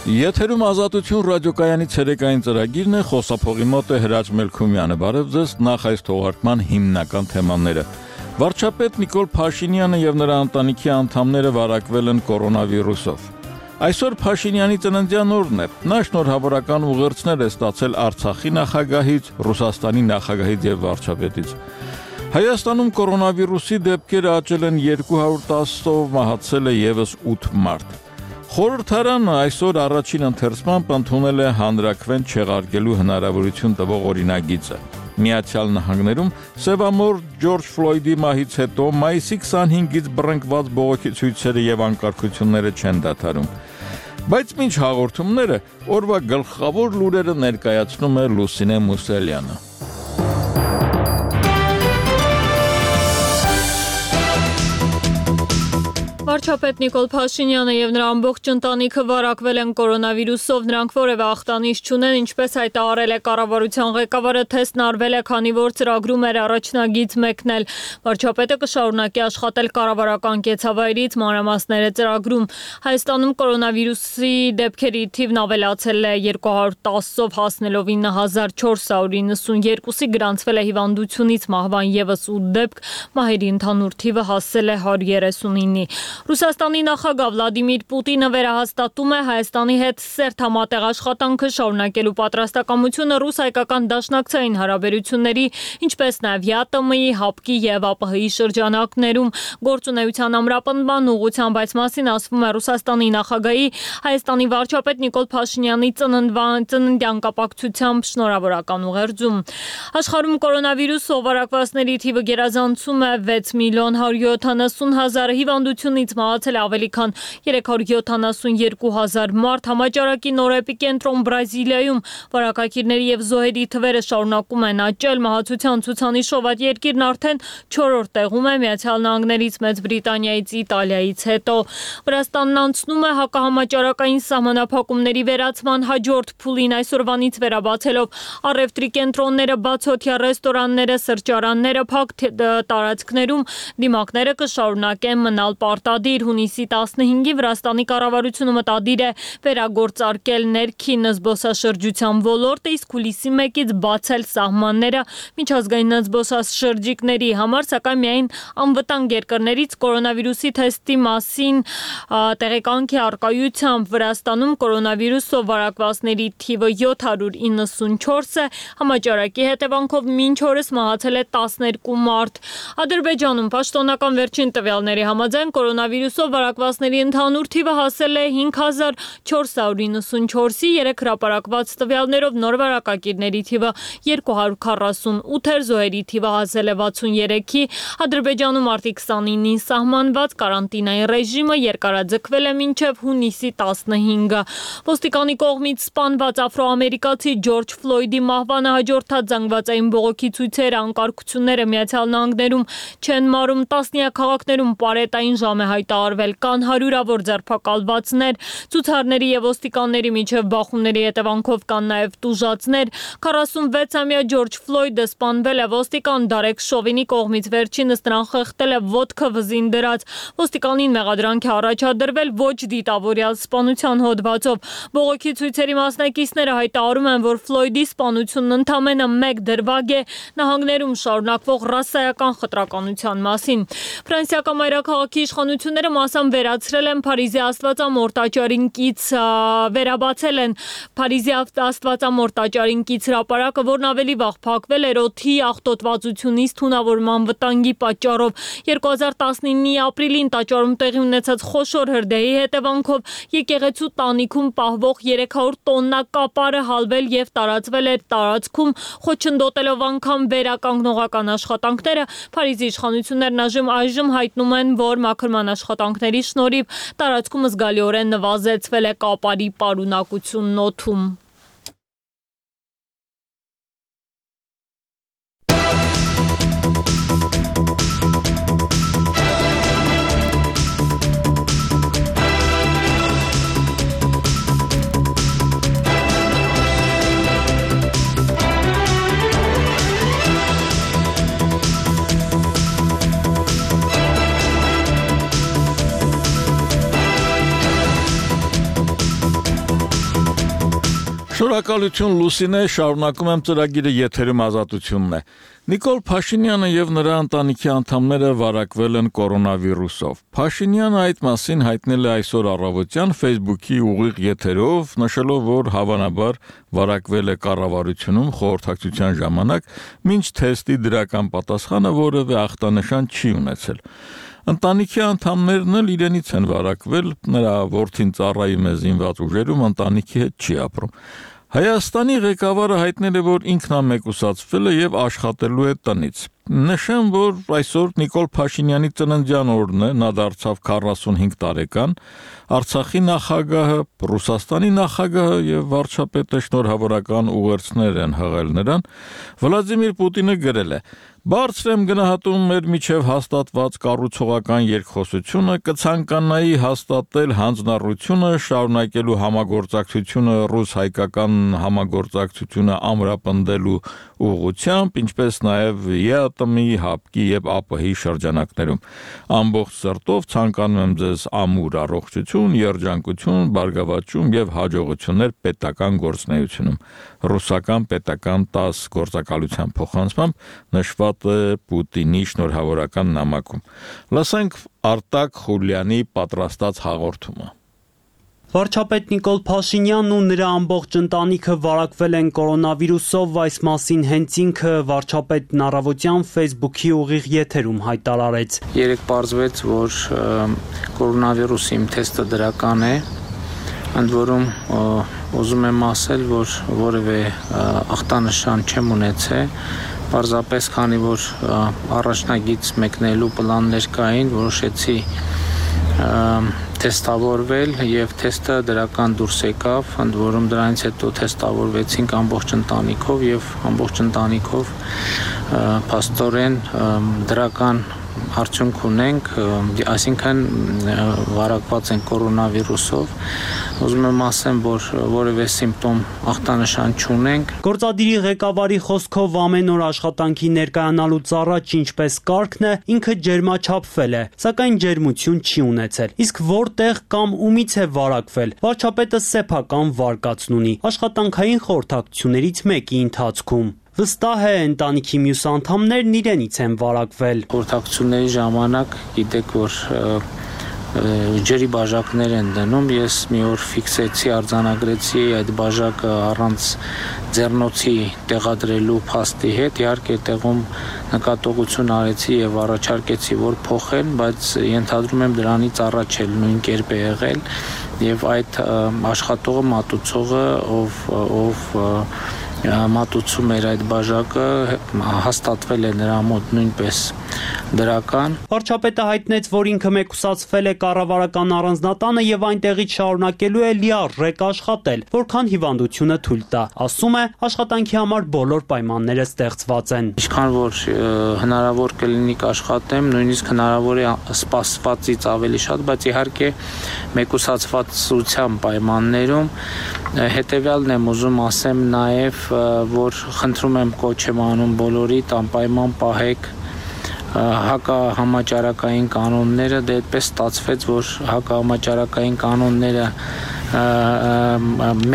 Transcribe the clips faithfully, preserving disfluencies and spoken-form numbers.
Եթերում ազատություն ռադիոկայանի ցերեկային ծրագիրն է, խոսափողի մոտ է Հրաչ Մելքումյանը։ Բարև ձեզ, նախ այս թողարկման հիմնական թեմաները։ Վարչապետ Նիկոլ Փաշինյանը եւ նրա ընտանիքի անդամները վարակվել են կորոնավիրուսով։ Այսօր Փաշինյանի ծննդյան օրն է։ Նա շնորհավորական ուղերձներ է ստացել Արցախի նախագահից, Ռուսաստանի նախագահից եւ վարչապետից։ Հայաստանում կորոնավիրուսի դեպքերը աճել են երկու հարյուր տասով, մահացել է եւս ութ մարդ։ Խորհրդարանը այսօր առաջին ընթերցմամբ ընդունել է հանրաքվեն չեղարկելու հնարավորություն տվող օրինագիծը։ Միացյալ Նահանգներում սևամոր Ջորջ Ֆլոյդի մահից հետո մայիսի քսանհինգից բռնկված բողոքի ցույցերը եւ անկարգությունները չեն դադարում։ Բայց մինչ հաղորդումները օրվա գլխավոր լուրերը ներկայացնում է Լուսինե Մուսելյանը։ Վարչապետ Նիկոլ Փաշինյանը եւ նրա ամբողջ ընտանիքը վարակվել են կորոնավիրուսով, նրանք որևէ ախտանիշ չունեն, ինչպես հայտարարել է կառավարության ղեկավարը, թեստն արվել է, քանի որ ծրագրում էր առաջնագիծ մեկնել։ Վարչապետը կշարունակի աշխատել կառավարական կեցավայրից, մանրամասները ծրագրում։ Հայաստանում կորոնավիրուսի դեպքերի թիվն ավելացել է երկու հարյուր տասով, հասնելով ինը հազար չորս հարյուր իննսունյոթի, գրանցվել է հիվանդությունից մահվան եւս ութ դեպք, մահերի ընդհանուր թիվը հասել է հարյուր երեսունինի։ Ռուսաստանի նախագահ Վլադիմիր Պուտինը վերահաստատում է Հայաստանի հետ սերտ համատեղ աշխատանքը շարունակելու պատրաստակամությունը ռուս-հայկական դաշնակցային հարաբերությունների, ինչպես նաև ԵԱՏՄ-ի, ՀԱՊԿ-ի եւ ԱՊՀ-ի շրջանակներում գործունեության ամրապնդման ուղղությամբ, այս մասին ասվում է Ռուսաստանի նախագահի Հայաստանի վարչապետ Նիկոլ Փաշինյանի ծննդյան կապակցությամբ շնորհավորական ուղերձում։ Աշխարհում կորոնավիրուսով վարակվածների թիվը գերազանցում է վեց միլիոն հարյուր յոթանասուն հազար, հիվանդությունից մահացել ավելի քան երեք հարյուր յոթանասունյոթ հազար մարդ։ Համաճարակի նոր էպիկենտրոն Բրազիլիայում վարակակիրների եւ զոհերի թվերը շարունակում են աճել։ Մահացության ցուցանիշով այդ երկիրն արդեն չորրորդ տեղում է Միացյալ Նահանգներից, Մեծ Բրիտանիայից, Իտալիայից հետո։ Վրաստանն անցնում է հակահամաճարակային սահմանափակումների վերացման հաջորդ փուլին, այսօրվանից վերաբացելով առևտրի կենտրոնները, բացօթյա ռեստորանները, սրճարանները, փակ տարածքներում դիմակները կշարունակեն մնալ պարտադիր։ Հունիսի տասնհինգի Վրաստանի կառավարությունը մտադիր է վերագործարկել ներքին զբոսաշրջության ոլորտը, իսկ հուլիսի մեկից բացել սահմանները միջազգային զբոսաշրջիկների համար, սակայն միայն անվտանգ երկրներից կորոնավիրուսի թեստի մասին տեղեկանքի առկայությամբ։ Վրաստանում կորոնավիրուսով վարակվածների թիվը յոթ հարյուր իննսունչորս է, համաճարակի հետևանքով մինչ օրս մահացել է տասներկու մարդ։ Ադրբեջանում պաշտոնական վերջին տվյալների համաձայն կորոնավիրուսով վարակվածների ընդհանուր թիվը հասել է հինգ հազար չորս հարյուր իննսունչորսի, երեք հրապարակված տվյալներով նոր վարակակիրների թիվը երկու հարյուր քառասունութ էր, զոհերի թիվը հասել է վաթսունյոթի։ Ադրբեջանում մարտի քսանինին սահմանված կարանտինային ռեժիմը երկարաձգվել է մինչև հունիսի տասնհինգը։ Ոստիկանի կողմից սպանված աֆրոամերիկացի Ջորջ Ֆլոյդի մահվանը հաջորդած զանգվածային բողոքի ցույցերը, անկարգությունները Միացյալ Նահանգներում չեն մարում, տասնյակ քաղաքներում պարետային ժամ է հայտարարվել, կան հարյուրավոր ձերբակալվածներ, ցուցարների եւ ոստիկանների միջև բախումների հետևանքով կան նաեւ տուժածներ։ քառասունվեցամյա Ջորջ Ֆլոյդը սպանվել է ոստիկան Դարեկ Շովինի կողմից, վերջինս նրան խեղդել է ոտքը վզին դրած։ Ոստիկանին մեղադրանք է առաջադրվել ոչ դիտավորյալ սպանության հոդվածով։ Բողոքի ցույցերի մասնակիցները հայտարարում են, որ Ֆլոյդի սպանությունն ընդամենը մեկ դրվագ է նահանգներում շարունակվող ռասայական խտրականության մասին։ Ֆրանսիական մայրաքաղաքի իշխանությունները մասամբ վերացրել են Փարիզի Աստվածամոր տաճարին կից վերաբացել են Փարիզի Աստվածամոր տաճարին կից հրապարակը, որն ավելի վաղ փակվել էր օդի աղտոտվածությունից թունավորման վտանգի պատճառով։ երկու հազար տասնինի ապրիլին տաճարում տեղի ունեցած խոշոր հրդեհի հետևանքով եկեղեցու տանիքում պահվող երեք հարյուր տոննա կապարը հալվել եւ տարածվել էր տարածքում, խոչընդոտելով անգամ վերականգնողական աշխատանքները։ Փարիզի իշխանություններն այժմ այժմ հայտնում են, որ մաքրման աշխատանքների շնորհիվ տարածքում զգալիորեն նվազեցվել է կապարի պարունակությունն օդում։ Շնորհակալություն Լուսինե, շարունակում եմ ծրագիրը եթերում Ազատությունն է։ Նիկոլ Փաշինյանը եւ նրա ընտանիքի անդամները վարակվել են կորոնավիրուսով։ Փաշինյանը այդ մասին հայտնել է այսօր առավոտյան Facebook-ի ուղիղ եթերով, նշելով, որ հավանաբար վարակվել է կառավարությունում խորհրդակցության ժամանակ, մինչ թեստի դրական պատասխանը որևէ ախտանշան չի ունեցել։ Ընտանիքի անդամներն էլ իրենից են վարակվել, նրա որդին ծառայում է զինված ուժերում, ընտանիքի հետ չի ապրում։ Հայաստանի ղեկավարը հայտնել է, որ ինքն ամեկուսացվել է եւ աշխատելու է տնից։ Նշեմ, որ այսօր Նիկոլ Փաշինյանի ծննդյան օրն է, նա դարձավ քառասունհինգ տարեկան, Արցախի նախագահը, Ռուսաստանի նախագահը եւ վարչապետը շնորհավորական ուղերձներ են հղել նրան։ Վլադիմիր Պուտինը գրել է. Բարձր եմ գնահատում մեր միջև հաստատված կառուցողական երկխոսությունը, կցանկանայի հաստատել հանձնառությունը, շարունակելու համագործակցությունը ռուս-հայկական համագործակցությունը ամրապնդելու ուղղությամբ, ինչպես նաև ԵԱՏՄ-ի, ՀԱՊԿ-ի եւ ԱՊՀ-ի շրջանակներում։ Ամբողջ սրտով ցանկանում եմ ձեզ ամուր առողջություն, երջանկություն, բարգավաճում եւ հաջողություններ պետական գործունեությունում։ Ռուսական պետական տասը գործակալության փոխանցմամբ նշված Պուտինի շնորհավորական նամակում։ Լսենք Արտակ Խուլյանի պատրաստած հաղորդումը։ Վարչապետ Նիկոլ Փաշինյանն ու նրա ամբողջ ընտանիքը վարակվել են կորոնավիրուսով, այս մասին հենց ինքը վարչապետն առավոտյան Facebook-ի ուղիղ եթերում հայտարարեց։ Երեկ պարզվեց, որ կորոնավիրուսի իմ թեստը դրական է, ընդ որում ուզում եմ ասել, որ որևէ ախտանշան չեմ ունեցել, պարզապես քանի որ առաջնագիծ մեկնելու պլաններ կային, որոշեցի թեստավորվել եւ թեստը դրական դուրս եկավ, ընդ որում դրանից հետո թեստավորվեցինք ամբողջ ընտանիքով եւ ամբողջ ընտանիքով փաստորեն դրական արդյունք ունենք, այսինքն վարակված են կորոնավիրուսով։ Ուզում եմ ասեմ, որ որևէ սիմպտոմ ախտանշան չունենք։ Գործադիրի ղեկավարի խոսքով ամեն օր աշխատանքի ներկայանալուց առաջ ինչպես կարգն է, ինքը ջերմաչափվել է, սակայն ջերմություն չի ունեցել։ Իսկ որտեղ կամ ումից է վարակվել։ Վարչապետը սեփական վարկածն ունի աշխատանքային խորհրդակցություններից մեկի ընթացքում։ Վստահ է, ընտանիքի մյուս անդամներն իրենից են վարակվել։ Խորհրդակցությունների ժամանակ գիտեք, որ ջրի բաժակներ են դնում, ես մի օր ֆիքսեցի, արձանագրեցի այդ բաժակը առանց ձեռնոցի տեղադրելու փաստի հետ, իհարկե տեղում նկատողություն արեցի եւ առաջարկեցի, որ փոխեն, բայց ենթադրում եմ դրանից առաջ էլ նույն կերպ է եղել եւ այդ աշխատողը, մատուցողը, ով ով մատուցում էր այդ բաժակը, հաստատվել է նրա մոտ նույնպես դրական։ Վարչապետը հայտնեց, որ ինքը մեկուսացվել է կառավարական առանձնատանը եւ այնտեղից շարունակելու է լիարժեք աշխատել, որքան հիվանդությունը թույլ տա։ Ասում է, աշխատանքի համար բոլոր պայմանները ստեղծված են։ Ինչքան որ հնարավոր կլինի կաշխատեմ, նույնիսկ հնարավոր է սպասվածից ավելի շատ, բայց իհարկե մեկուսացվածության պայմաններում հետեւյալն եմ ուզում ասեմ նաեւ, որ խնդրում եմ կոչ եմ անում բոլորիդ անպայման պահեք հակահամաճարակային կանոնները, դե այդպես ստացվեց, որ հակահամաճարակային կանոնները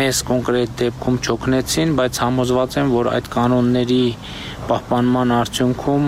մեզ կոնկրետ դեպքում չօգնեցին, բայց համոզված եմ, որ այդ կանոնների պահպանման արդյունքում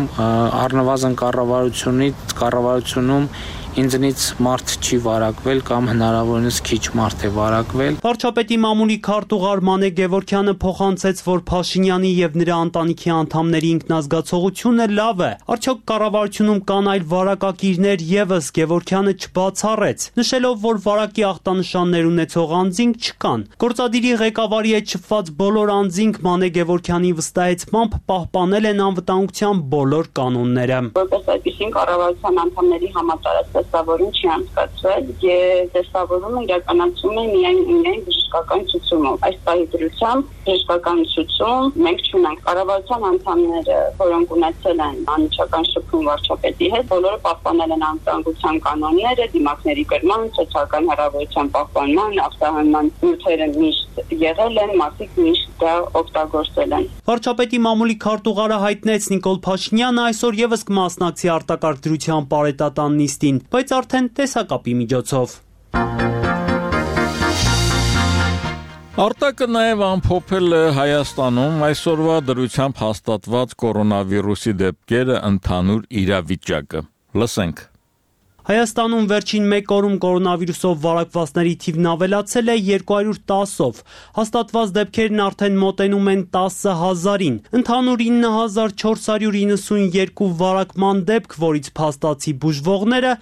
առնվազն կառավարությունից կառավարությունում ինձնից մարդ չի վարակվել կամ հնարավորինս քիչ մարդ է վարակվել։ Վարչապետի մամուլի քարտուղար Մանե Գևորգյանը փոխանցեց, որ Փաշինյանի եւ նրա ընտանիքի անդամների ինքնազգացողությունը լավ է։ Արդյոք կառավարությունում կան այլ վարակակիրներ եւս, Գևորգյանը չբացառեց, նշելով, որ վարակի ախտանշաններ ունեցող անձինք չկան։ Գործադիրի ղեկավարի հետ շփված բոլոր անձինք Մանե Գևորգյանի վստահեցմամբ պահպանել են անվտանգության բոլոր կանոնները։ Որպես այդպիսին կառավարության անդամների համատարած տեստավորում չի անցկացվել եւ տեստավորումը իրականացում է միայն միայն բժշկական ցուցումով։ Այս պահի դրությամբ բժշկական ցուցում մենք չունենք։ Կառավարության անդամները, որոնք ունեցել են անմիջական շփում վարչապետի հետ, բոլորը պահպանել են անվտանգության կանոնները, դիմակների կրման, սոցիալական հեռավորության պահպանման, ախտահանման նյութերը միշտ եղել են, մարդիկ միշտ դա օգտագործել են։ Վարչապետի մամուլի քարտուղարը հայտնեց Նիկոլ Փաշինյանը այսօր եւս կմասնակցի արտակարգ դրության պարետատան նիստին, բայց արդեն տեսակապի միջոցով։ Արտակը նաև ամփոփել է Հայաստանում այսօրվա դրությամբ հաստատված կորոնավիրուսի դեպքերը ընդհանուր իրավիճակը։ Լսենք։ Հայաստանում վերջին մեկ օրում կորոնավիրուսով վարակվածների թիվն ավելացել է երկու հարյուր տասով, հաստատված դեպքերն արդեն մոտենում են տասը հազարին, ընդհանուր ինը հազար չորս հարյուր իննսունյոթ վարակման դեպք, որից փաստացի բուժվողները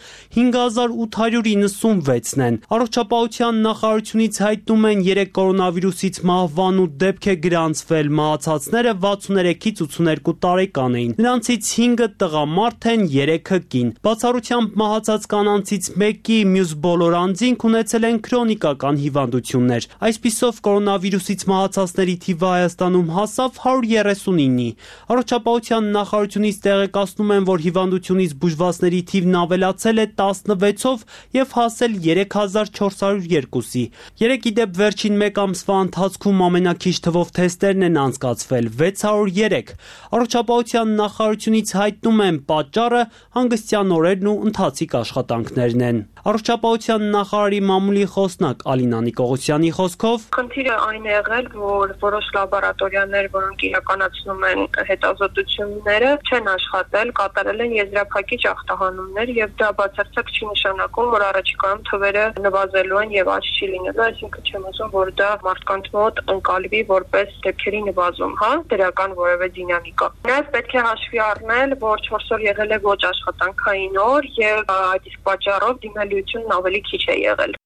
հինգ հազար ութ հարյուր իննսունվեցն են։ Առողջապահության նախարարությունից հայտնում են երեք կորոնավիրուսից մահվան ութ դեպք է գրանցվել, մահացածները վաթսուներեքից ութսուներկու տարեկան էին, նրանցից հինգը տղամարդ են, երեքը կին։ Բացառությամբ մահացած կանանցից մեկի մյուս բոլոր անձինք ունեցել են քրոնիկական հիվանդություններ։ Այսպիսով կորոնավիրուսից մահացածների թիվը Հայաստանում հասավ հարյուր երեսունինի։ Առողջապահության նախարարությունից տեղեկացնում են, որ հիվանդությունից բուժվածների թիվն ավելացել է տասնվեցով եւ հասել երեք հազար չորս հարյուր երկուսի։ Երեքի դեպ վերջին մեկ ամսվա ընթացքում ամենաքիչ թվով թեստերն են անցկացվել՝ վեց հարյուր երեք։ Առողջապահության նախարարությունից հայտնում են պատճառը հանգստյան օրերն ու ընթացիկ աշխատանքներն են։ Առողջապահության նախարարի մամուլի խոսնակ Ալինա Նիկողոսյանի խոսքով խնդիրը այն է եղել, որ որոշ լաբորատորիաներ, որոնք իրականացնում են հետազոտությունները, չեն աշխատել, կատարել են եզրափակիչ ախտահանումներ եւ դա բացարձակ չի նշանակում, որ առաջիկայում թվերը նվազելու են եւ աճ չի լինելու, այսինքն չեմ ասում, որ դա մարդկանց մոտ ընկալվի որպես դեպքերի նվազում, հա, դրական որևէ դինամիկա։ Նաեւ պետք է հաշվի առնել, որ չորս օր եղել է ոչ աշխատանքային օր եւ այդ իսկ պատճառով դիմելիությունն ավելի քիչ է եղել։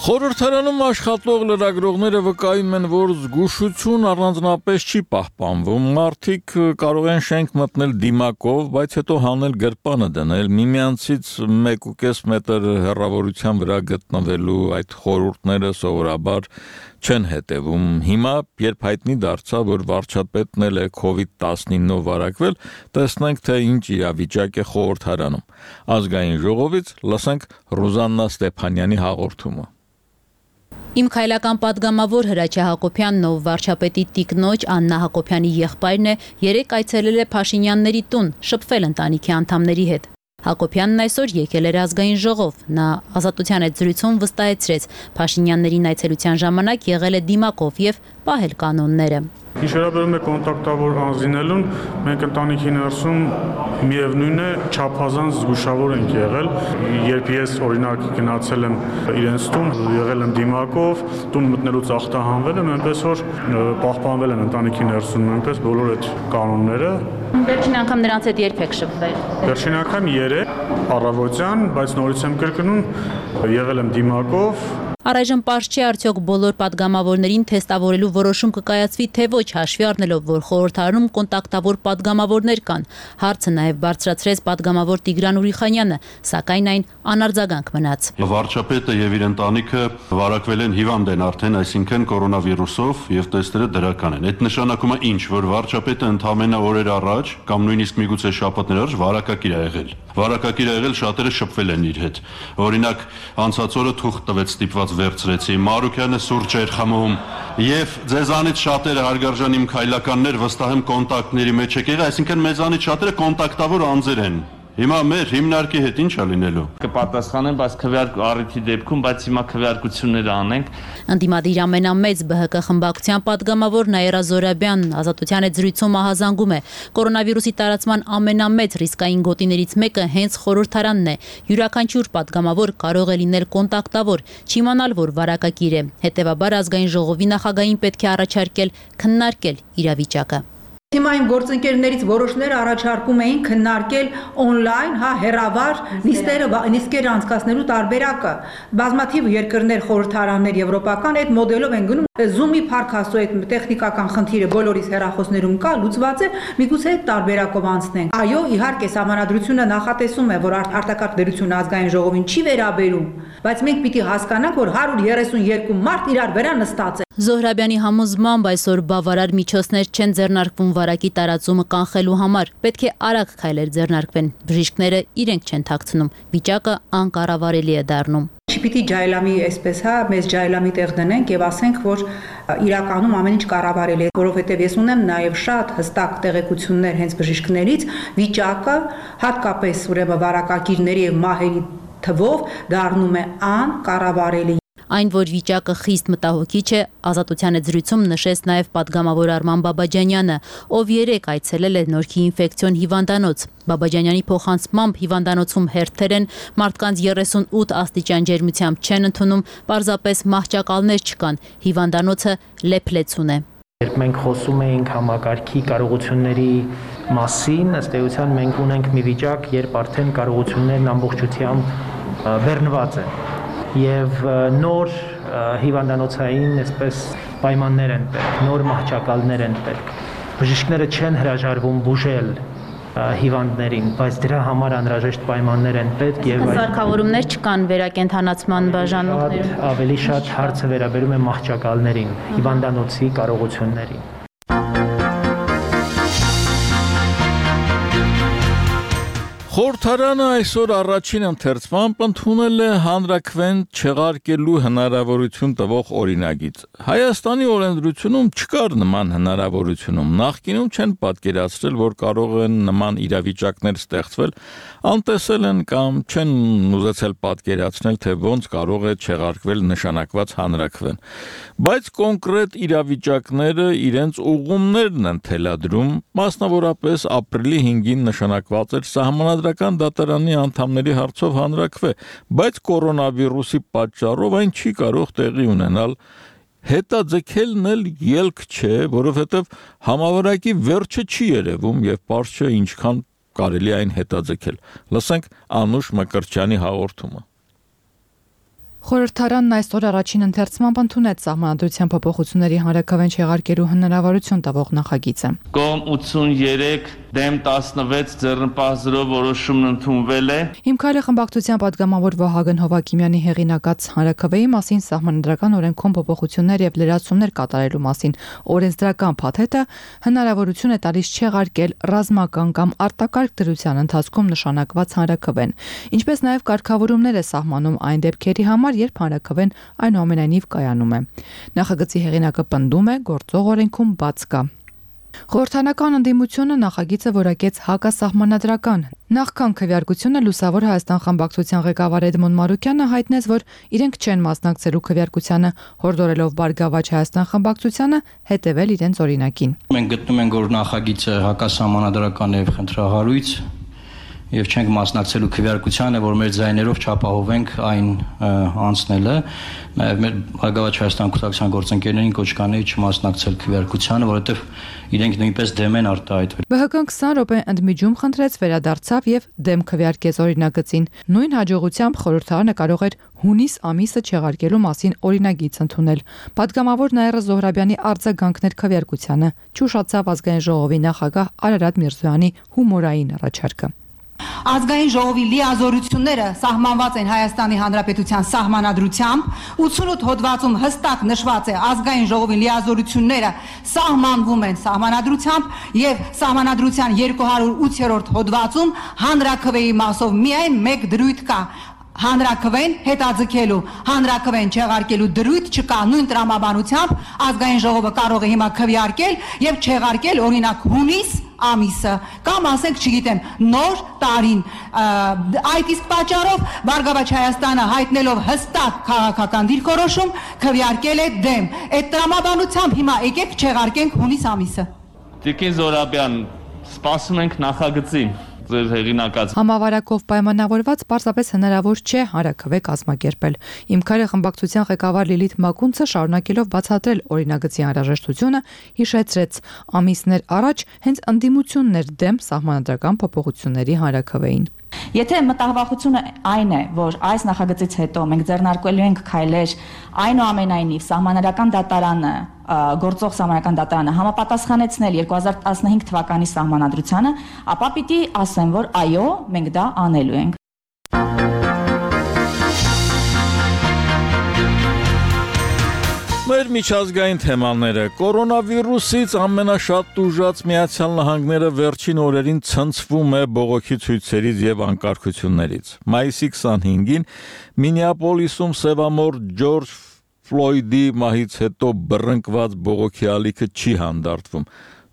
Խորհրդարանում աշխատող լրագրողները վկայում են, որ զգուշություն առանձնապես չի պահպանվում։ Մարդիկ կարող են շենք մտնել դիմակով, բայց հետո հանել գրպանը դնել, միմյանցից մեկ ու կես մետր հեռավորության վրա գտնվելու այդ խորհուրդները սովորաբար չեն հետևում։ Հիմա, երբ հայտնի դարձավ, որ վարչապետն էլ է քովիդ տասնինով վարակվել, տեսնենք, թե ինչ իրավիճակ է խորհրդարանում։ Ազգային ժողովից լսենք Ռուզաննա Ստեփանյանի հաղորդումը։ Իմ քայլական պատգամավոր Հրաչյա Հակոբյանն, ով վարչապետի տիկնոջ Աննա Հակոբյանի եղբայրն է, երեկ այցելել է Փաշինյանների տուն, շփվել ընտանիքի անդամների հետ։ Հակոբյանն այսօր եկել էր ազգային ժողով։ Նա Ազատության հետ զրույցում վստահեցրեց, Փաշինյաններին այցելության ժամանակ եղել է դիմակով եւ պահել կանոնները։ Ինչ վերաբերում է կոնտակտավոր անձինելուն, մենք ընտանիքի ներսում միևնույն է չափազանց զգուշավոր ենք եղել։ Երբ ես օրինակ գնացել եմ իրենց տուն, եղել եմ դիմակով, տուն մտնելուց ախտահանվել եմ, այնպես որ պահպանվել են ընտանիքի ներսում նույնպես բոլոր այդ կանոնները։ Վերջին անգամ նրանց հետ երբ եք շփվել։ Վերջին անգամ երեկ առավոտյան, բայց նորից եմ կրկնում, եղել եմ դիմակով։ Առայժմ պարզ չի արդյոք բոլոր պատգամավորներին թեստավորելու որոշում կկայացվի, թե ոչ, հաշվի առնելով, որ խորհրդարանում կոնտակտավոր պատգամավորներ կան։ Հարցը նաև բարձրացրեց պատգամավոր Տիգրան Ուրիխանյանը, սակայն այն անարձագանք մնաց։ Վարչապետը եւ իր ընտանիքը վարակվել են, հիվանդ են արդեն, այսինքն կորոնավիրուսով եւ տեստերը դրական են։ Այդ նշանակում է ինչ, որ վարչապետը ընդամենը օրեր առաջ կամ նույնիսկ միգուցե շաբաթներ առաջ վարակակիր ա եղել։ Վարակակիր ա եղել, շատերը շփվել են իր հետ։ Օրինակ, անցած օրը թուղթ տվեց ստիպված վերցրեցի, Մարուկյանը սուրճ էր խմում եւ ձեզանից շատերը հարգարժան իմ քայլականներ վստահ եմ կոնտակտների մեջ եք եղել, այսինքն մեզանից շատերը կոնտակտավոր անձեր են։ Հիմա մեր հիմնարկի հետ ինչ է լինելու։ Կպատասխանեն, բայց քվեարկու առիթի դեպքում, բայց հիմա քվեարկությունները անենք։ Ընդդիմադիր ամենամեծ Բ Հ Կ խմբակցության պատգամավոր Նաիրա Զորաբյանն Ազատության հետ զրույցում ահազանգում է, կորոնավիրուսի տարածման ամենամեծ ռիսկային գոտիներից մեկը հենց խորհրդարանն է։ Յուրաքանչյուր պատգամավոր կարող է լինել կոնտակտավոր, չիմանալ, որ վարակակիր է։ Հետևաբար ազգային ժողովի նախագահին պետք է առաջարկել քննարկել իրավիճակը։ Հիմա իմ գործընկերներից որոշները առաջարկում էին քննարկել օնլայն, հա, հեռավար նիստերը, նիստեր անցկացնելու տարբերակը։ Բազմաթիվ երկրներ, խորհրդարաններ, եվրոպական այդ մոդելով են գնում։ Zoom-ի փառքաստու այդ տեխնիկական խնդիրը բոլորիս հեռախոսներում կա, լուծված է, միգուցե այդ տարբերակով անցնենք։ Այո, իհարկե, Սահմանադրությունը նախատեսում է, որ արտակարգ դերությունը ազգային ժողովին չի վերաբերում, բայց մենք պիտի հասկանանք, որ հարյուր երեսունյոթ մարդ իրար վրա նստած է։ Զոհրաբյանի համոզմամբ այսօր բավարար միջոցներ չեն ձեռնարկվում վարակի տարածումը կանխելու համար։ Պետք է արագ քայլեր ձեռնարկվեն։ Բժիշկները իրենք չեն թաքցնում։ Վիճակը անկառավարելի է դառնում։ Չպիտի ջայլամի այսպես, հա, մեզ ջայլամի տեղ դնենք եւ ասենք, որ իրականում ամեն ինչ կառավարելի է, որովհետեւ ես ունեմ նաեւ շատ հստակ տեղեկություններ հենց բժիշկներից, վիճակը հատկապես ուրեմն վարակակիրների եւ մահերի թվով դառնում է անկառավարելի։ Այն, որ վիճակը խիստ մտահոգիչ է, Ազատության հետ զրույցում նշեց նաև պատգամավոր Արման Բաբաջանյանը, ով երեկ այցելել է Նորքի ինֆեկցիոն հիվանդանոց։ Բաբաջանյանի փոխանցմամբ հիվանդանոցում հերթեր են, մարդկանց երեսունութ աստիճան ջերմությամբ չեն ընդունում, պարզապես մահճակալներ չկան, հիվանդանոցը լեփլեցուն է։ Երբ մենք խոսում էինք համակարգի կարողությունների մասին, ըստ էության մենք ունենք մի վիճակ, երբ արդեն կարողություններն ամբողջությամբ բեռնված են եւ նոր հիվանդանոցային այսպես պայմաններ են պետք, նոր մահճակալներ են պետք։ Բժիշկները չեն հրաժարվում բուժել հիվանդներին, բայց դրա համար անհրաժեշտ պայմաններ են պետք եւ սարքավորումներ չկան վերակենդանացման բաժանումներում։ Ավելի շատ հարցը վերաբերում է մահճակալներին, հիվանդանոցի կարողություններին։ Խորհրդարանը այսօր առաջին ընթերցմամբ ընդունել է հանրաքվեն չեղարկելու հնարավորություն տվող օրինագիծ։ Հայաստանի օրենսդրությունում չկար նման հնարավորությունում, նախկինում չեն պատկերացրել, որ կարող են նման իրավիճակներ ստեղծվել, անտեսել են կամ չեն ուզեցել պատկերացնել, թե ոնց կարող է չեղարկվել նշանակված հանրաքվեն։ Բայց կոնկրետ իրավիճակները իրենց ուղղումներն են թելադրում, մասնավորապես ապրիլի հինգին նշանակված էր սահմանադրական դատարանի անդամների հարցով հանրաքվե, բայց կորոնավիրուսի պատճառով այն չի կարող տեղի ունենալ։ Հետաձգելն էլ ելք չէ, որովհետև համավարակի վերջը չի երևում եւ պարզ չէ ինչքան կարելի այն հետաձգել։ Լսենք Անուշ Մկրտչյանի հաղորդումը։ Խորհրդարանն այսօր առաջին ընթերցմամբ ընդունեց սահմանադրության փոփոխությունների հանրաքվեն չեղարկելու հնարավորություն տվող նախագիծը։ Կողմ ութսուներեք դեմ տասնվեց ձեռնպահ զրո որոշումն ընդունվել է։ Հիմքայլը խմբակցության պատգամավոր Վահագն Հովակիմյանի հեղինակած հանրաքվեի մասին սահմանադրական օրենքում փոփոխություններ եւ լրացումներ կատարելու մասին օրենսդրական փաթեթը հնարավորություն է տալիս չեղարկել ռազմական կամ արտակարգ դրության ընթացքում նշանակված հանրաքվեն, ինչպես նաեւ կարգավորումներ է սահմանում այն դեպքերի համար, երբ հանրաքվեն այնուամենայնիվ կայանում է։ Նախագծի հեղինակը պնդում է, գործող օրենքում բաց կա։ Խորհրդանական ընդդիմությունը նախագիծը որակեց հակասահմանադրական։ Նախքան քվեարկությունը Լուսավոր Հայաստան խմբակցության ղեկավար Էդմոն Մարուկյանը հայտնեց, որ իրենք չեն մասնակցելու քվեարկությանը, հորդորելով Բարգավաճ Հայաստան խմբակցությանը հետևել իրենց օրինակին։ Մենք գտնում ենք, որ նախագիծը հակասահմանադրական է եւ խնդրահարույց եւ չենք մասնակցելու քվեարկությանը, որ մեր ձայներով չապահովենք այն անցնելը, նաեւ մեր Բարգավաճ Հայաստան կուսակցության գործընկերներին կոչ կանեի չմասնակցել քվեարկությանը, որովհետեւ իրենք նույնպես դեմ են արտահայտվել։ ԲհԿ-ն քսան րոպե ընդմիջում խնդրեց, վերադարձավ եւ դեմ քվեարկեց օրինագծին։ Նույն հաջողությամբ խորհրդարանը կարող էր հունիս ամիսը չեղարկելու մասին օրինագիծ ընդունել։ Պատգամավոր Նաիրա Զոհրաբյանի արձագանքներ քվեարկությանը չուշացավ ազգային ժողովի նախագահ Արարատ Միրզոյանի հումորային առաջարկը։ Ազգային ժողովի լիազորությունները սահմանված են Հայաստանի Հանրապետության սահմանադրությամբ, ութսունութ հոդվածում հստակ նշված է ազգային ժողովի լիազորությունները սահմանվում են սահմանադրությամբ եւ սահմանադրության երկու հարյուր ութ-րդ հոդվածում հանրաքվեի մասով միայն մեկ դրույթ կա։ Հանրաքվեն հետաձգելու, հանրաքվեն չեղարկելու դրույթ չկա, նույն տրամաբանությամբ ազգային ժողովը կարող է հիմա քվեարկել եւ չեղարկել օրինակ հունիս ամիսը կամ ասենք չգիտեմ նոր տարին այդ իսկ պատճառով Բարգավաճ Հայաստանը հայտնելով հստակ քաղաքական դիրքորոշում քվեարկել է դեմ։ Այդ տրամաբանությամբ հիմա եկեք չեղարկենք հունիս ամիսը։ Տիկին Զորաբյան, սպասում ենք նախագծին։ Ձեր հեղինակած Համավարակով պայմանավորված պարզապես հնարավոր չէ հանրաքվե կազմակերպել։ Հիմքայլը խմբակցության ղեկավար Լիլիթ Մակունցը շարունակելով բացատրել օրինագծի անհրաժեշտությունը, հիշեցրեց ամիսներ առաջ հենց ընդդիմությունն էր դեմ սահմանադրական փոփոխությունների հանրաքվեին։ Եթե մտահղախությունը այն է, որ այս նախագծից հետո մենք ձեռնարկելու ենք քայլեր այնուամենայնիվ սահմանադրական դատարանը, գործող սահմանադրական դատարանը համապատասխանեցնել երկու հազար տասնհինգ թվականի սահմանադրությանը, ապա պիտի ասեմ, որ այո, մենք դա անելու ենք։ Մեր միջազգային թեմաները կորոնավիրուսից ամենաշատ տուժած Միացյալ Նահանգները վերջին օրերին ցնցվում է բողոքի ցույցերից եւ անկարգություններից։ Մայիսի քսանհինգին Մինեապոլիսում սևամոր Ջորջ Ֆլոյդի մահից հետո բռնկված բողոքի ալիքը չի հանդարտվում։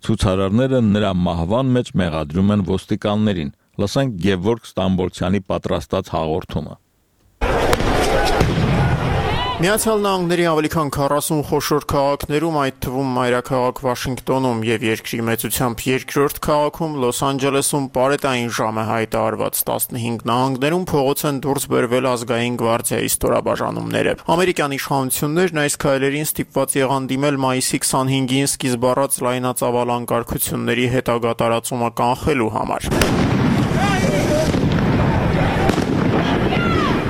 Ցուցարարները նրա մահվան մեջ մեղադրում են ոստիկաններին։ Լսենք Գևորգ Ստամբոլցյանի պատրաստած հաղորդումը։ Միացյալ Նահանգների ավելի քան քառասուն խոշոր քաղաքներում, այդ թվում մայրաքաղաք Վաշինգտոնում եւ երկրի մեծությամբ երկրորդ քաղաքում Լոս Անջելեսում պարետային ժամ է հայտարարված։ տասնհինգ նահանգներում փողոց են դուրս բերվել ազգային գվարդիայի ստորաբաժանումները։ Ամերիկյան իշխանություններն այս քայլերին ստիպված եղան դիմել մայիսի քսանհինգին սկիզբ առած լայնածավալ անկարգությունների հետագա տարածումը կանխելու համար։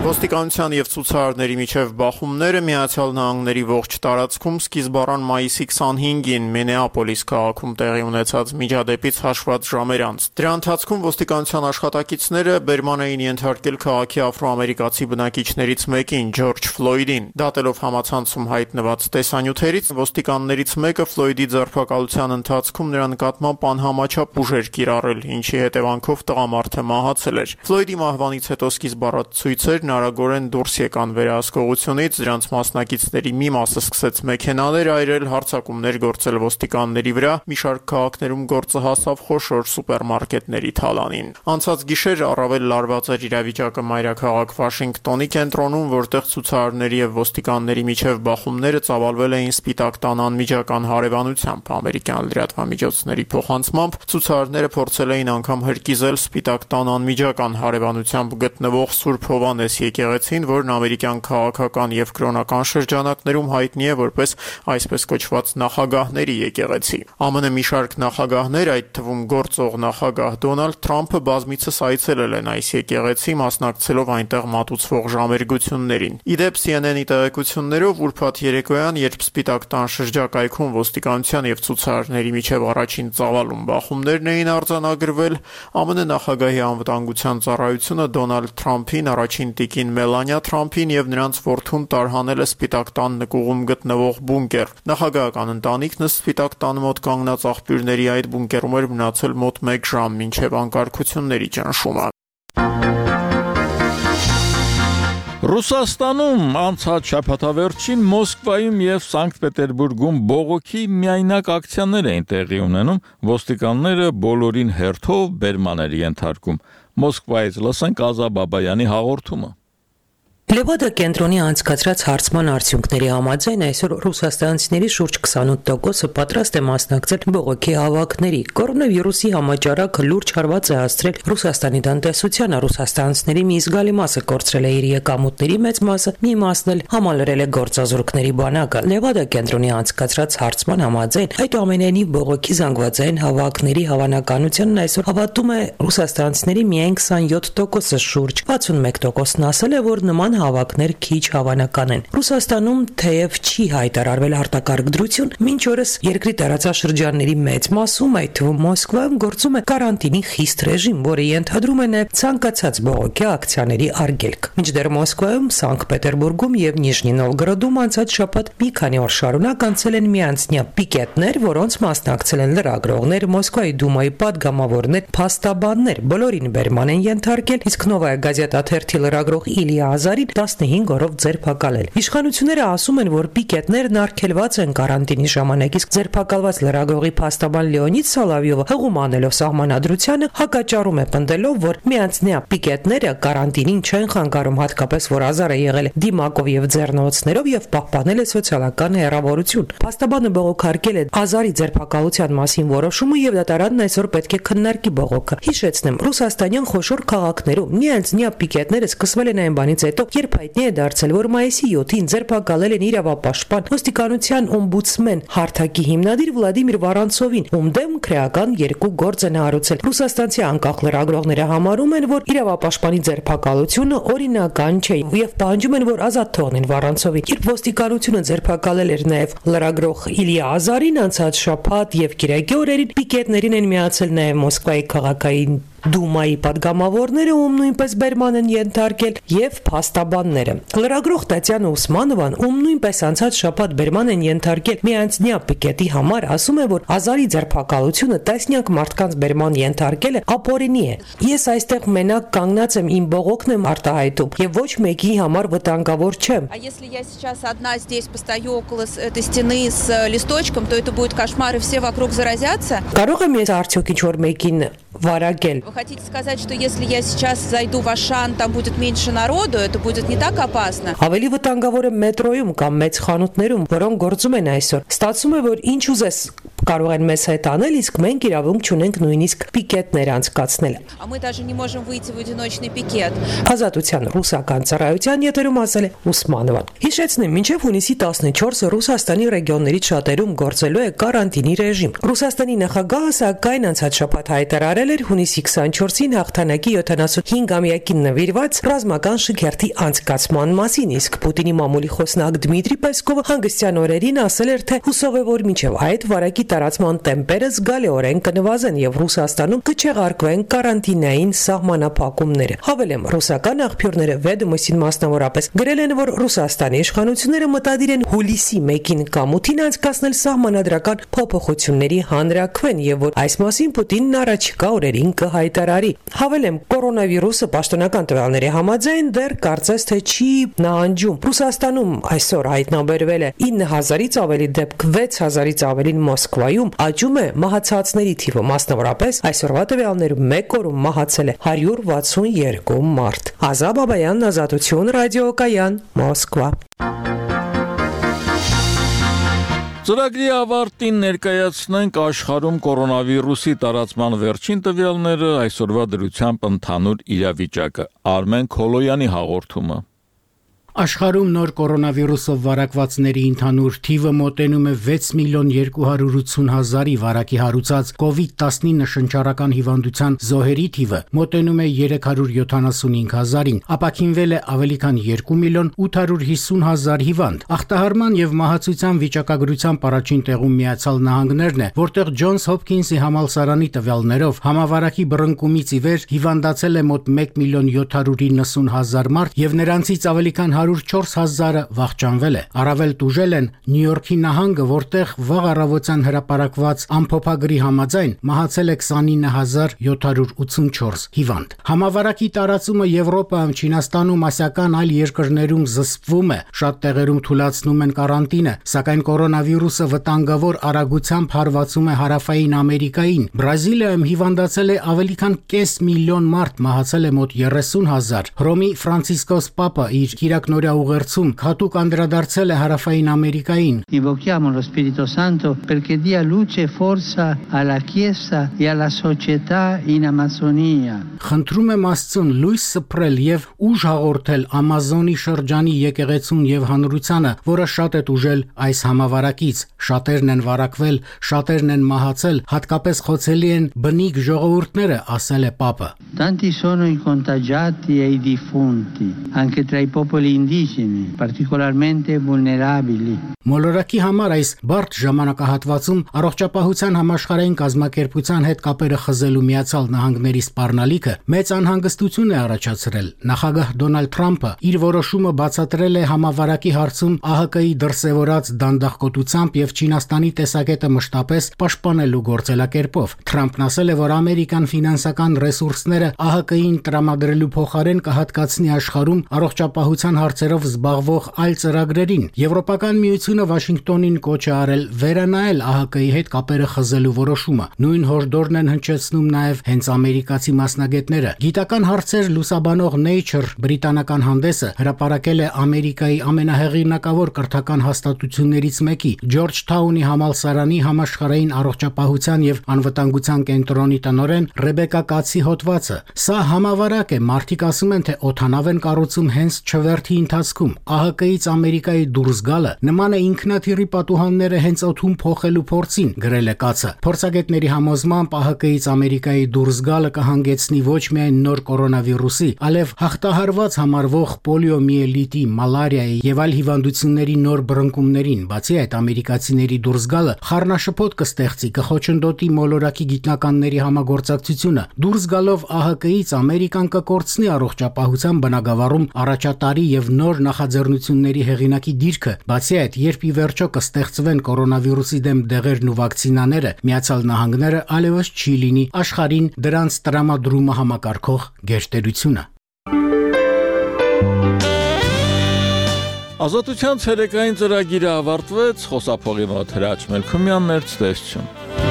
Ոստիկանության եւ ցուցարարների միջև բախումները Միացյալ Նահանգների ողջ տարածքում սկիզբ առան մայիսի քսանհինգին Մինեապոլիս քաղաքում տեղի ունեցած միջադեպից հաշված ժամեր անց։ Դրա ընթացքում ոստիկանության աշխատակիցները բերման էին ենթարկել քաղաքի աֆրոամերիկացի բնակիչներից մեկին՝ Ջորջ Ֆլոյդին։ Դատելով համացանցում հայտնված տեսանյութերից, ոստիկաններից մեկը Ֆլոյդի ձերբակալության ընթացքում նրա նկատմամբ անհամաչափ ուժեր կիրառել, ինչի հետևանքով տղամարդը մահացել էր։ Ֆլոյդի մահվանից հետո սկիզբ առած ցույցերն արագորեն դուրս եկան վերահսկողությունից, դրանց մասնակիցների մի մասը սկսեց մեքենաներ այրել, հարձակումներ գործել ոստիկանների վրա, մի շարք քաղաքներում գործը հասավ խոշոր սուպերմարկետների թալանին։ Անցած գիշեր առավել լարված էր իրավիճակը մայրաքաղաք Վաշինգտոնի կենտրոնում, որտեղ ցուցարարների եւ ոստիկանների միջև բախումները ծավալվել էին Սպիտակ տան անմիջական հարևանությամբ։ Ամերիկյան լրատվամիջոցների փոխանցմամբ ցուցարարները փորձել էին անգամ հրկիզել Սպիտակ տան անմիջական հարևանությամբ գտնվող Սուրբ Հովհաննես եկեղեցին, որն ամերիկյան քաղաքական եւ կրոնական շրջանակներում հայտնի է որպես այսպես կոչված նախագահների եկեղեցի։ ԱՄՆ մի շարք նախագահներ, այդ թվում գործող նախագահ Դոնալդ Թրամփը բազմիցս այցելել են այս եկեղեցի, մասնակցելով այնտեղ մատուցվող ժամերգություններին։ Իդեպ C N N-ի տեղեկություններով ուրբաթ երեկոյան, երբ Սպիտակ տան շրջակայքում ոստիկանության եւ ցուցարարների միջև առաջին ծավալուն բախումներն էին արձանագրվել, ԱՄՆ նախագահի անվտանգության ծառայությունը Դոնալդ Թրամփին, առաջին տիկին Մելանիա Թրամփին եւ նրանց որդուն տարհանել է Սպիտակ տան նկուղում գտնվող բունկեր։ Նախագահական ընտանիքն Սպիտակ տան մոտ կանգնած աղբյուրների այդ բունկերում էր մնացել մոտ մեկ ժամ մինչև անկարգությունների ճնշումը։ Ռուսաստանում անցած շաբաթավերջին Մոսկվայում եւ Սանկտ Պետերբուրգում բողոքի միայնակ ակցիաներ էին տեղի ունենում, ոստիկանները բոլորին հերթով բերման էր ենթարկում։ Մոսկվայից լսենք Ազա Բաբայանի հաղորդումը։ Լևադա կենտրոնի անցկացրած հարցման արդյունքների համաձայն այսօր ռուսաստանցիների շուրջ քսանութ տոկոսը պատրաստ է մասնակցել բողոքի հավաքների։ Կորոնավիրուսի համաճարակը լուրջ հարված է հասցրել Ռուսաստանի տնտեսությանը, ռուսաստանցիների մի զգալի մասը կորցրել է իր եկամուտների մեծ մասը, մի մասն էլ համալրել է գործազուրկների բանակը։ Լևադա կենտրոնի անցկացրած հարցման համաձայն այդուամենայնիվ բողոքի զանգվածային հավաքների հավանականությունն այսօր հավատում է ռուսաստանցիների միայն քսանյոթ տոկոսը, շուրջ վաթսունմեկ տոկոսն ասել է, որ նման հավաքներ քիչ հավանական են։ Ռուսաստանում թեև չի հայտարարվել արտակարգ դրություն, մինչ օրս երկրի տարածաշրջանների մեծ մասում, այդ թվում Մոսկվայում, գործում է կարանտինի խիստ ռեժիմ, որը ենթադրում է նաև ցանկացած բողոքի ակցիաների արգելք։ Մինչդեռ Մոսկվայում, Սանկտ Պետերբուրգում եւ Նիժնի Նովգորոդում անցած շաբաթ մի քանի օր շարունակ անցել են միանձնյա պիկետներ, որոնց մասնակցել են լրագրողներ, Մոսկվայի դումայի պատգամավորներ, փաստաբաններ, բոլորին բերման են ենթարկել, իսկ Նովայա գազետա թերթի լրագրող Իլիա Ազարին տասնհինգ օրով ձերբակալել։ Իշխանությունները ասում են, որ պիկետներն արգելված են կարանտինի ժամանակ, իսկ ձերբակալված լրագրողի փաստաբան Լեոնիդ Սոլովյովը հղում անելով սահմանադրությանը հակաճառում է պնդելով, որ միանձնյա պիկետները կարանտինին չեն խանգարում, հատկապես որ Ազարը եղել է դիմակով եւ ձեռնոցներով եւ պահպանել է սոցիալական հեռավորություն։ Փաստաբանը բողոքարկել է Ազարի ձերբակալության մասին որոշումը եւ դատարանն այսօր պետք է քննարկի բողոքը։ Հիշեցնեմ, ռուսաստանյան խոշոր քաղաքներում միանձնյա պիկետները սկսվել են այն բանից հետո, երբ հայտնի է դարձել, որ մայիսի յոթին ձերբակալել են իրավապաշտպան ոստիկանության օմբուդսմեն հարթակի հիմնադիր Վլադիմիր Վարանցովին, ում դեմ քրեական երկու գործ են հարուցել։ Ռուսաստանցի անկախ լրագրողները համարում են, որ իրավապաշտպանի ձերբակալությունը օրինական չէ եւ պահանջում են, որ ազատ թողնեն Վարանցովին։ Երբ ոստիկանությունը ձերբակալել էր նաեւ լրագրող Իլիա Ազարին, անցած շաբաթ եւ կիրակի օրերին պիկետներին են միացել նաեւ Մոսկվայի քաղաքային Դումայի պատգամավորները, ում նույնպես բերման են ենթարկել, եւ փաստաբանները։ Լրագրող Տատյանա Ուսմանովան, ում նույնպես անցած շաբաթ բերման են ենթարկել միանձնյա պիկետի համար, ասում է, որ Ազարի ձերբակալությունը տասնյակ մարդկանց բերման ենթարկելը ապօրինի է։ Ես այստեղ մենակ կանգնած եմ, իմ բողոքն եմ արտահայտում եւ ոչ մեկի համար վտանգավոր չեմ։ А если я сейчас одна здесь постою около этой стены с листочком, то это будет кошмар и все вокруг заразятся։ Կարող եմ ես արդյոք ինչ որ մեկին վարակել։ Вы хотите сказать, что если я сейчас зайду в Ашан, там будет меньше народу, это будет не так опасно? Ավելի վտանգավոր է մետրոյում կամ մեծ խանութներում, որոնք գործում են այսօր։ Ստացվում է, որ ինչ ուզես կարող են մեզ հետ անել, իսկ մենք իրավունք չունենք նույնիսկ պիկետներ անցկացնել։ А мы даже не можем выйти в одиночный пикет. Ազատության ռուսական ծառայության եթերում ասել է Ուսմանովան։ Հիշեցնեմ, մինչև հունիսի տասնչորսը Ռուսաստանի ռեգիոնների շատերում գործելու է կարանտինի ռեժիմ։ Ռուսաստանի նախագահը սակայն անցած շաբաթ հայտարարել էր հունիսի քսանչորսին հաղթանակի յոթանասունհինգամյակին նվիրված ռազմական շքերթի անցկացման մասին, իսկ Պուտինի մամուլի խոսնակ Դմիտրի Պեսկովը հանգստյան օրերին ասել էր, թե հուսով է, որ մինչև այդ վարակի տարածման տեմպերը զգալիորեն կնվազեն եւ Ռուսաստանում կչեղարկվեն կարանտինային սահմանափակումները։ Հավելեմ, ռուսական աղբյուրները Վեդոմոստին մասնավորապես գրել են, որ Ռուսաստանի իշխանությունները մտադիր են հուլիսի մեկին կամ ութին անցկացնել սահմանադրական փոփոխությունների հանրաքվեն եւ որ այս մասին Պուտինն առաջիկա օրերին կհայտարարի։ Հավելեմ, կորոնավիրուսը պաշտոնական տվյալների համաձայն դեռ կարծես թե չի նահանջում։ Ռուսաստանում այսօր հայտնաբերվել է ինը հազարից ավելի դեպք, վեց հազարից ավելին Մոսկվայում, աճում է մահացածների թիվը, մասնավորապես այսօրվա տվյալներում մեկ օրում մահացել է հարյուր վաթսունյոթ մարդ։ Ազատ Բաբայան, Ազատություն, ռադիոկայան, Մոսկվա։ Ծրագրի ավարտին ներկայացնենք աշխարհում կորոնավիրուսի տարածման վերջին տվյալները, այսօրվա դրությամբ ընդհանուր իրավիճակը։ Արմեն Քոլոյանի հաղորդումը։ Աշխարհում նոր կորոնավիրուսով վարակվածների ընդհանուր թիվը մոտենում է վեց միլիոն երկու հարյուր ութսուն հազարի, վարակի հարուցած կովիդ տասնինը շնչառական հիվանդության զոհերի թիվը մոտենում է երեք հարյուր յոթանասունհինգ հազարին, ապաքինվել է ավելի քան երկու միլիոն ութ հարյուր հիսուն հազար հիվանդ։ Ախտահարման եւ մահացության վիճակագրությամբ առաջին տեղում Միացյալ Նահանգներն է, որտեղ Ջոնս Հոփքինսի համալսարանի տվյալներով համավարակի բռնկումից ի վեր հիվանդացել է մոտ մեկ միլիոն յոթ հարյուր իննսուն հազար մարդ եւ նրանցից ավելի քան հարյուր չորս հազարը վախճանվել է։ Առավել տուժել են Նյու Յորքի նահանգը, որտեղ վաղ առավոտյան հրապարակված ամփոփագրի համաձայն մահացել է քսանինը հազար յոթ հարյուր ութսունչորս հիվանդ։ Համավարակի տարածումը Եվրոպայում, Չինաստանում, ասիական այլ երկրներում զսպվում է, շատ տեղերում թուլացնում են կարանտինը, սակայն կորոնավիրուսը վտանգավոր արագությամբ հարվածում է Հարավային Ամերիկային։ Բրազիլիայում հիվանդացել է ավելի քան կես միլիոն մարդ, մահացել է մոտ երեսուն հազար։ Հռոմի Ֆրանցիսկոս Պապը իր կիրակնօրյա ուղերձում հատուկ անդրադարձել է Հարավային Ամերիկային։ Invochiamo lo Spirito Santo perché dia luce e forza alla Chiesa e alla società in Amazzonia. Խնդրում եմ Աստծուն լույս սփռել եւ ուժ հաղորդել Ամազոնի շրջանի եկեղեցուն եւ հանրությանը, որը շատ է տուժել այս համավարակից։ Շատերն են վարակվել, շատերն են մահացել, հատկապես խոցելի են բնիկ ժողովուրդները, ասել է Պապը։ Tanti sono i contagiati e i defunti, anche tra i popoli indigeni, particolarmente vulnerabili. Մոլորակի համար այս բարդ ժամանակահատվածում առողջապահության համաշխարհային կազմակերպության հետ կապերը խզելու Միացյալ Նահանգների սպառնալիքը մեծ անհանգստություն է առաջացրել։ Նախագահ Դոնալդ Թրամփը իր որոշումը բացատրել է համավարակի հարցում ԱՀԿ-ի դրսևորած դանդաղկոտությամբ եւ Չինաստանի տեսակետը մշտապես պաշտպանելու գործելակերպով։ Թրամփն ասել է, որ ամերիկան ֆինանսական ռեսուրսները ԱՀԿ-ին տրամադրելու փոխարեն կհատկացնի աշխարհում առողջապահության հարցերով զբաղվող այլ ծրագրերին։ Եվրոպական միությունը Վաշինգտոնին կոչ է արել վերանայել ԱՀԿ-ի հետ կապերը խզելու որոշումը։ Նույն հորդորն են հնչեցնում նաև հենց ամերիկացի մասնագետները։ Գիտական հարցեր լուսաբանող Nature բրիտանական հանդեսը հրապարակել է Ամերիկայի ամենահեղինակավոր կրթական հաստատություններից մեկի Ջորջթաունի համալսարանի համաշխարհային առողջապահության եւ անվտանգության կենտրոնի տնօրեն Ռեբեկա Կացի հոդվածը։ Սա համավարակ է, մարդիկ ասում են, թե օդանավ են կառուցում հենց չվերթի ընթացքում։ ԱՀԿ-ից Ամերիկայի դուրս գալը նման է ինքնաթիռի պատուհանները հենց օդում փոխելու փորձին, գրել է Կացը։ Փորձագետների համոզմամբ ԱՀԿ-ից Ամերիկայի դուրս գալը կհանգեցնի ոչ միայն նոր կորոնավիրուսի, այլև հաղթահարված համարվող պոլիոմիելիտի, մալարիայի եւ այլ հիվանդությունների նոր բռնկումներին։ Բացի այդ, ամերիկացիների դուրս գալը խառնաշփոթ կստեղծի, կխոչընդոտի մոլորակի գիտնականների համագործակցությունը։ Դուրս գալով ԱՀԿ-ից Ամերիկան կկորցնի առողջապահության բնագավառում առաջատարի եւ նոր նախաձեռնությունների հեղինակի դիրքը։ Բացի այդ, երբ ի վերջո կստեղծվեն կորոնավիրուսի դեմ դեղերն ու վակցինաները, Միացյալ Նահանգները այլևս չի լինի աշխարհին դրանց տրամադրումը համակարգող գերտերությունը։ Ազատության ցերեկային ծրագիրը ավարտվեց, խոսափողի մոտ Հրաչ Մելքումյանն էր, ցտեսություն։